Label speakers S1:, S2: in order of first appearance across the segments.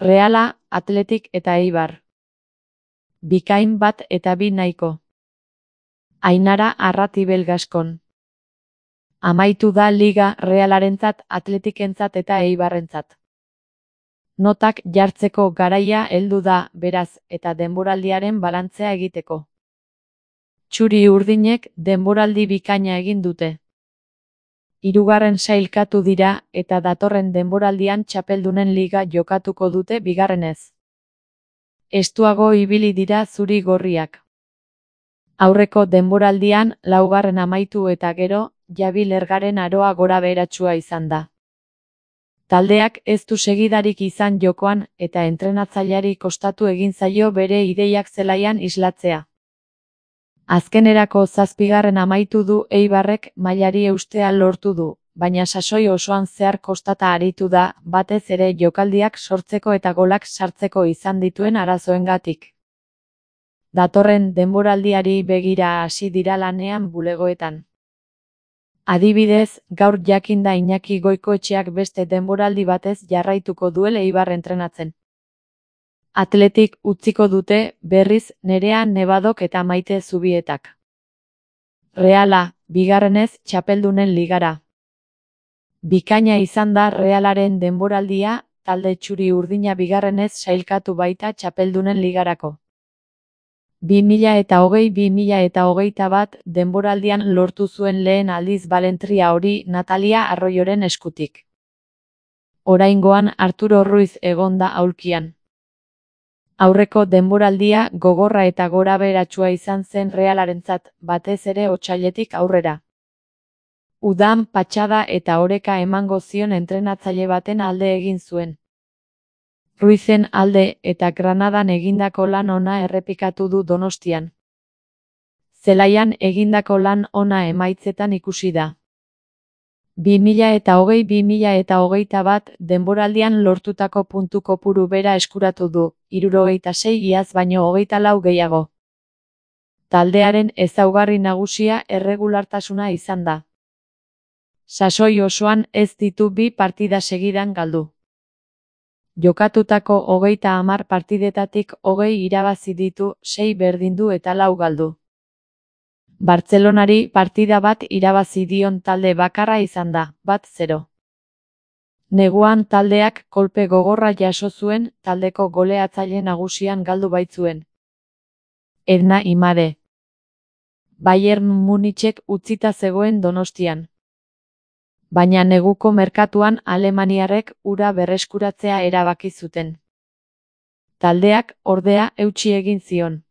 S1: Reala, Athletic eta Eibar. Bikain 1 eta 2 nahiko. Ainara Arratibel Gaskon. Amaitu da liga Realarentzat, Athleticentzat eta Eibarrentzat. Notak jartzeko garaia heldu da, beraz, eta denboraldiaren balantzea egiteko. Txuri-urdinek denboraldi bikaina egin dute. 3. sailkatu dira eta datorren denboraldian txapeldunen liga jokatuko dute bigarrenez. Estuago ibili dira zuri-gorriak. Aurreko denboraldian 4. amaitu eta gero, Javi Lergaren aroa gorabeheratsua izan da. Taldeak ez du segidarik izan jokoan eta entrenatzaileari kostatu egin zaio bere ideiak zelaian islatzea. Azkenerako 7. amaitu du Eibarrek mailari eustea lortu du, baina sasoi osoan zehar kostata aritu da, batez ere jokaldiak sortzeko eta golak sartzeko izan dituen arazoengatik. Datorren denboraldiari begira hasi dira lanean bulegoetan. Adibidez, gaur jakinda Iñaki Goikoetxeak beste denboraldi batez jarraituko duela Eibar entrenatzen. Athletic utziko dute, berriz, Nerea Nebadok eta Maite Zubietak. Reala, bigarrenez txapeldunen ligara. Bikaina izan da Realaren denboraldia, talde txuri-urdina bigarrenez sailkatu baita txapeldunen ligarako. 2020-2021 denboraldian lortu zuen lehen aldiz balentria hori Natalia Arroyoren eskutik. Oraingoan Arturo Ruiz egon da aulkian. Aurreko denboraldia gogorra eta gorabeheratsua izan zen Realarentzat, batez ere otsailetik aurrera. Udan patxada eta oreka emango zion entrenatzaile baten alde egin zuen. Ruizen alde eta Granadan egindako lan ona errepikatu du Donostian. Zelaian egindako lan ona emaitzetan ikusi da. 2020-2021 denboraldian lortutako puntu kopuru bera eskuratu du, 76 iaz baino 24 gehiago. Taldearen ezaugarri nagusia erregulartasuna izan da. Sasoi osoan ez ditu 2 partida segidan galdu. Jokatutako 30 partidetatik 20 irabazi ditu, 6 berdindu eta 4 galdu. Bartzelonari partida bat irabazi dion talde bakarra izan da, 1-0. Neguan taldeak kolpe gogorra jaso zuen, taldeko goleatzaile nagusian galdu baitzuen. Edna Imade. Bayern Munichek utzita zegoen Donostian. Baina neguko merkatuan alemaniarrek hura berreskuratzea erabaki zuten. Taldeak, ordea, eutsi egin zion.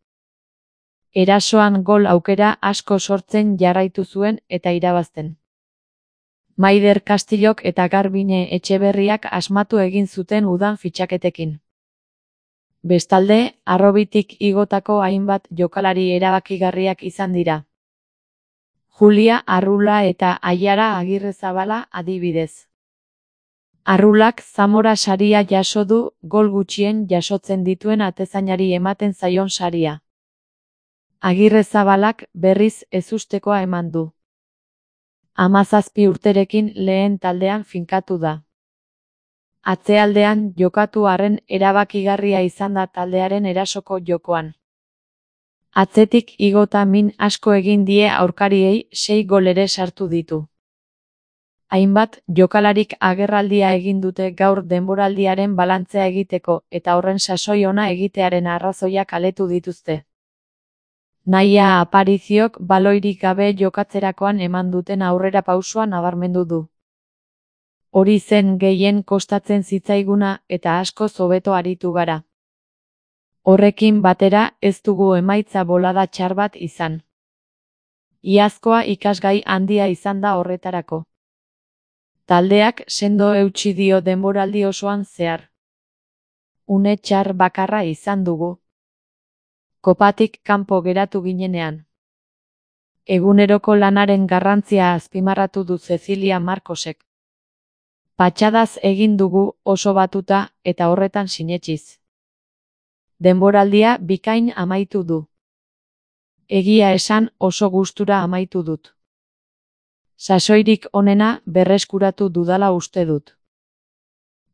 S1: Erasoan gol aukera asko sortzen jarraitu zuen eta irabazten. Maider Castillok eta Garbine Etxeberriak asmatu egin zuten udan fitxaketekin. Bestalde, harrobitik igotako hainbat jokalari erabakigarriak izan dira. Julia Arrula eta Aiara Agirrezabala adibidez. Arrulak Zamora saria jaso du, gol gutxien jasotzen dituen atezainari ematen zaion saria. Agirrezabalak berriz ezustekoa eman du. 17 urterekin lehen taldean finkatu da. Atzealdean jokatu arren erabakigarria izan da taldearen erasoko jokoan. Atzetik igota min asko egin die aurkariei, 6 gol ere sartu ditu. Hainbat jokalarik agerraldia egin dute gaur denboraldiaren balantzea egiteko eta horren sasoi ona egitearen arrazoiak aletu dituzte. Naia Apariziok baloirik gabe jokatzerakoan eman duten aurrera pausua nabarmendu du. Hori zen gehien kostatzen zitzaiguna eta asko hobeto aritu gara. Horrekin batera ez dugu emaitza bolada txar bat izan. Iazkoa ikasgai handia izan da horretarako. Taldeak sendo eutsi dio denboraldi osoan zehar. Une txar bakarra izan dugu. Kopatik kanpo geratu ginenean. Eguneroko lanaren garrantzia azpimarratu du Cecilia Marcosek. Patxadaz egin dugu oso batuta eta horretan sinetsiz. Denboraldia bikain amaitu du. Egia esan oso gustura amaitu dut. Sasoirik onena berreskuratu dudala uste dut.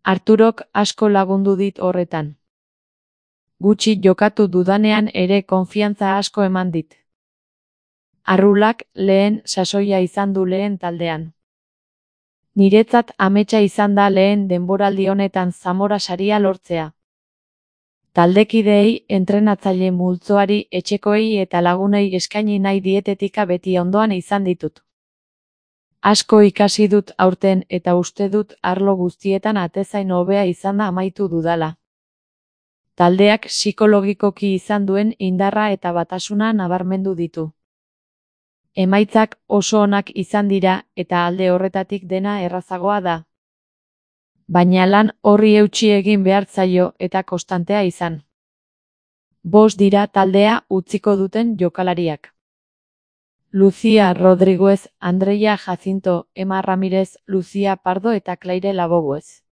S1: Arturok asko lagundu dit horretan. Gutxi jokatu dudanean ere konfiantza asko eman dit. Arrulak lehen sasoia izan du lehen taldean. Niretzat ametsa izan da lehen denboraldi honetan Zamora saria lortzea. Taldekideei, entrenatzaile multzoari, etxekoei eta lagunei eskaini nahi dietetika beti ondoan izan ditut. Asko ikasi dut aurten eta uste dut arlo guztietan atezain hobea izan da amaitu dudala. Taldeak psikologikoki izan duen indarra eta batasuna nabarmendu ditu. Emaitzak oso onak izan dira eta alde horretatik dena errazagoa da. Baina lan horri eutsi egin behar zaio eta konstantea izan. 5 dira taldea utziko duten jokalariak. Lucía Rodríguez, Andreia Jacinto, Emma Ramirez, Lucía Pardo eta Claire Laboguez.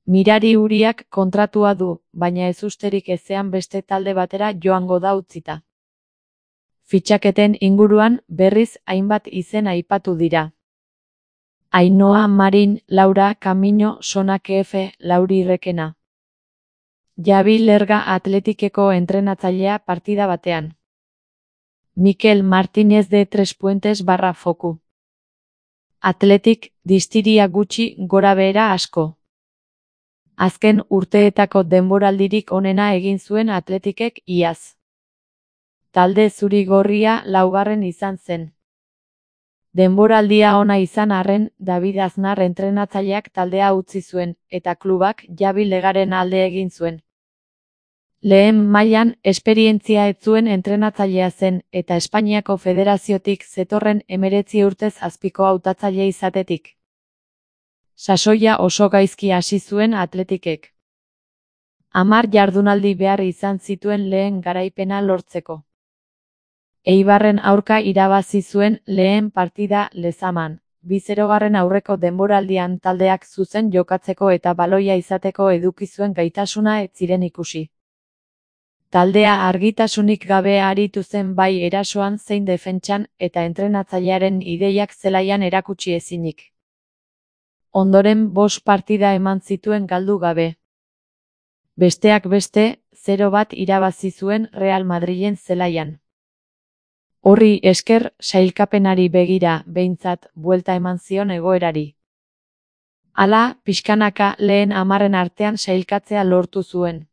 S1: Mirari Uriak kontratua du, baina ezusterik ezean beste talde batera joango da utzita. Fitxaketen inguruan berriz hainbat izen aipatu dira. Ainhoa Marin, Laura Camino, Sona KF, Lauri Requena. Javi Lerga Atletikeko entrenatzailea partida batean. Mikel Martínez de Tres Puentes / Foku. Atletik, distiria gutxi, gorabehera asko. Azken urteetako denboraldirik onena egin zuen Atletikek iaz. Talde zuri-gorria 4. izan zen. Denboraldia ona izan arren, David Aznar entrenatzaileak taldea utzi zuen, eta klubak Javi Legaren alde egin zuen. Lehen mailan esperientzia ez zuen entrenatzailea zen, eta Espainiako Federaziotik zetorren 19 urtez azpiko hautatzaile izatetik. Sasoia oso gaizki hasi zuen Atletikek. 10 jardunaldi behar izan zituen lehen garaipena lortzeko. Eibarren aurka irabazi zuen lehen partida Lezaman, 2-0 aurreko denboraldian taldeak zuzen jokatzeko eta baloia izateko eduki zuen gaitasuna ez ziren ikusi. Taldea argitasunik gabe aritu zen bai erasoan zein defentsan eta entrenatzailearen ideiak zelaian erakutsi ezinik. Ondoren 5 partida eman zituen galdu gabe. Besteak beste, 0-1 irabazi zuen Real Madrilen zelaian. Horri esker, sailkapenari begira, behintzat, buelta eman zion egoerari. Hala, pixkanaka lehen 10 artean sailkatzea lortu zuen.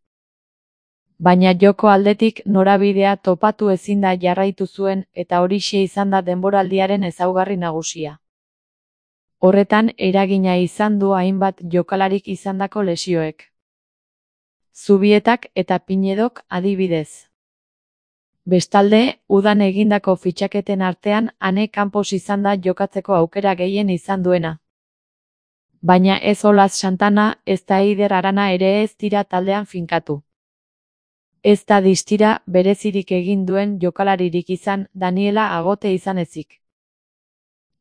S1: Baina joko aldetik norabidea topatu ezinda jarraitu zuen eta horixe izan da denboraldiaren ezaugarri nagusia. Horretan eragina izan du hainbat jokalarik izandako lesioek. Zubietak eta Pinedok adibidez. Bestalde, udan egindako fitxaketen artean Ane Campos izan da jokatzeko aukera gehien izan duena. Baina ez Olas Santana, ez da Eider Arana ere ez dira taldean finkatu. Ez da distira berezirik egin duen jokalaririk izan Daniela Agote izan ezik.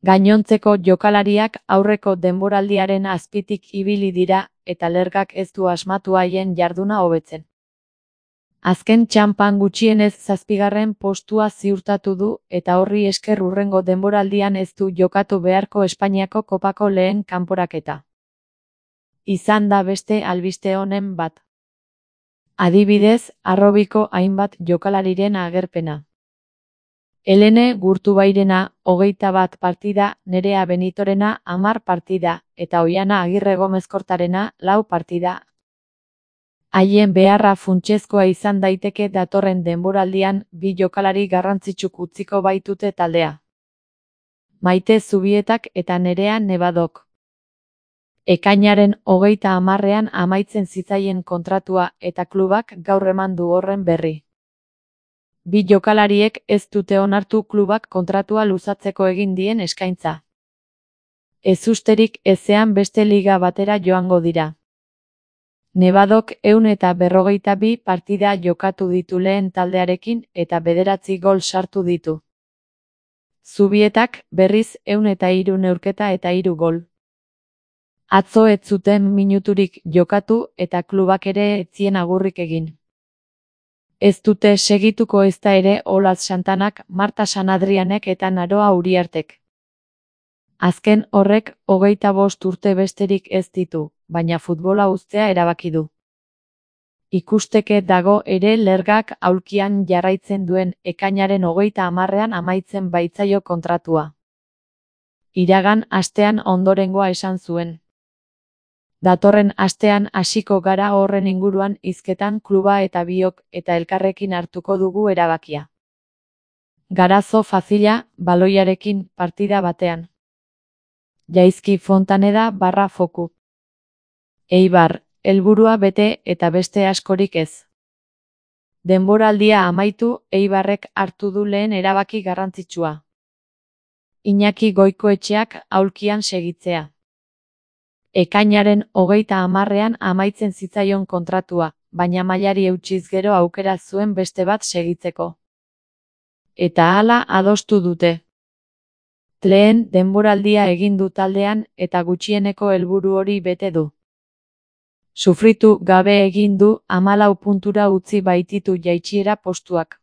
S1: Gainontzeko jokalariak aurreko denboraldiaren azpitik ibili dira eta Lergak ez du asmatu haien jarduna hobetzen. Azken txanpan gutxienez 7. postua ziurtatu du eta horri esker hurrengo denboraldian ez du jokatu beharko Espainiako kopako lehen kanporaketa. Izan da beste albiste honen bat. Adibidez, Arrobiko hainbat jokalariren agerpena. Helene Gurtubairena 21 partida, Nerea Benitorena 10 partida, eta Oiana Agirre Gomez-Kortarena 4 partida. Haien beharra funtsezkoa izan daiteke datorren denboraldian 2 jokalari garrantzitsuk utziko baitute taldea. Maite Zubietak eta Nerea Nebadok. Ekainaren 30ean amaitzen zitzaien kontratua eta klubak gaur eman du horren berri. 2 jokalariek ez dute onartu klubak kontratua luzatzeko egin dien eskaintza. Ezusterik ezean beste liga batera joango dira. Nebadok 142 partida jokatu ditu lehen taldearekin eta 9 gol sartu ditu. Zubietak berriz 103 neurketa eta 3 gol. Atzo ez zuten minuturik jokatu eta klubak ere ez zien agurrik egin. Ez dute segituko ezta ere Olas Santanak, Marta San Adrianek eta Naroa Uriartek. Azken horrek 25 urte besterik ez ditu, baina futbola uztea erabaki du. Ikusteke dago ere Lergak aulkian jarraitzen duen ekainaren 30ean amaitzen baitzaio kontratua. Iragan astean ondorengoa esan zuen. Datorren astean hasiko gara horren inguruan hizketan kluba eta biok eta elkarrekin hartuko dugu erabakia. Garazo Facila, baloiarekin partida batean. Jaizki Fontaneda / Foku. Eibar, helburua bete eta beste askorik ez. Denboraldia amaitu, Eibarrek hartu du lehen erabaki garrantzitsua. Iñaki Goikoetxeak aulkian segitzea. Ekainaren 30ean amaitzen zitzaion kontratua, baina mailari eutsiz gero aukera zuen beste bat segitzeko. Eta hala adostu dute. Lehen denboraldia egin du taldean eta gutxieneko helburu hori bete du. Sufritu gabe egin du 14 puntura utzi baititu jaitsiera postuak.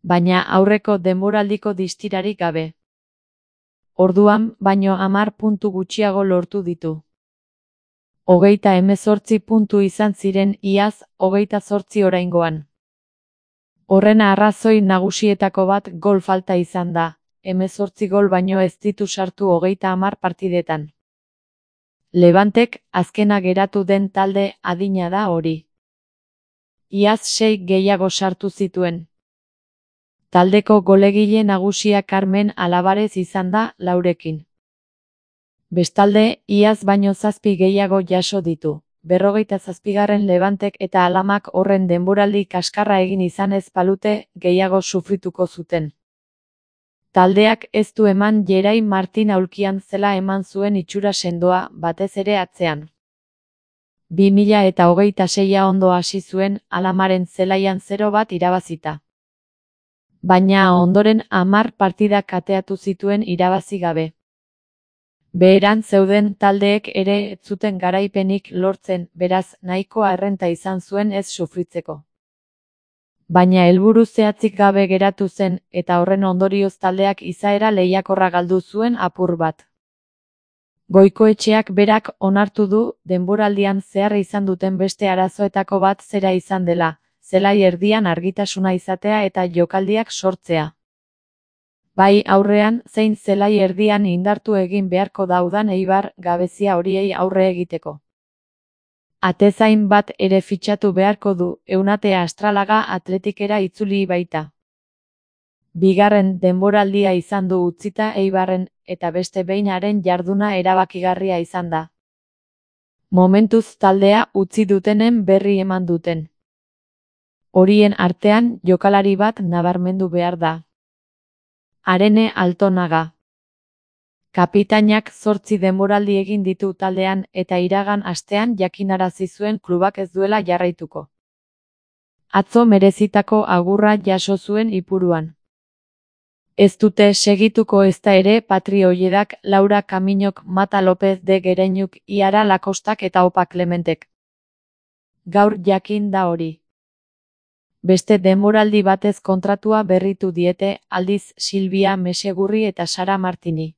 S1: Baina aurreko denboraldiko distirarik gabe. Orduan baino 10 puntu gutxiago lortu ditu. 38 puntu izan ziren iaz, 28 oraingoan. Horren arrazoi nagusietako bat gol falta izan da, 18 gol baino ez ditu sartu 30 partidetan. Levantek azkena geratu den talde adina da hori. Iaz 6 gehiago sartu zituen. Taldeko golegile nagusia Carmen Alabarez izan da 4rekin. Bestalde, iaz baino 7 gehiago jaso ditu. 57. Levantek eta Alamak horren denboraldi kaskarra egin izan ez balute gehiago sufrituko zuten. Taldeak ez du eman Jerai Martin aulkian zela eman zuen itxura sendoa, batez ere atzean. 2026 ondo hasi zuen, Alamaren zelaian 0-1 irabazita. Baina ondoren 10 partidak kateatu zituen irabazi gabe. Beheran zeuden taldeek ere ez zuten garaipenik lortzen, beraz nahikoa errenta izan zuen ez sufritzeko. Baina helburu zehatzik gabe geratu zen, eta horren ondorioz taldeak izaera lehiakorra galdu zuen apur bat. Goikoetxeak berak onartu du denboraldian zehar izan duten beste arazoetako bat zera izan dela, zelai erdian argitasuna izatea eta jokaldiak sortzea. Bai aurrean zein zelai erdian indartu egin beharko daudan Eibar gabezia horiei aurre egiteko. Atezain bat ere fitxatu beharko du, Eunate Astralaga Atletikera itzuli baita. Bigarren denboraldia izan du utzita Eibarren, eta beste behinaren jarduna erabakigarria izan da. Momentuz taldea utzi dutenen berri eman duten. Horien artean jokalari bat nabarmendu behar da. Arene Altonaga. Kapitainak 8 denboraldi egin ditu taldean eta iragan astean jakinarazi zuen klubak ez duela jarraituko. Atzo merezitako agurra jaso zuen Ipuruan. Ez dute segituko ezta ere Patri Olledak, Laura Kaminok, Mata López de Gereñuk, Iara Lakostak eta Opa Clementek. Gaur jakin da hori. Beste denboraldi batez kontratua berritu diete, aldiz Silvia Mesegurri eta Sara Martini.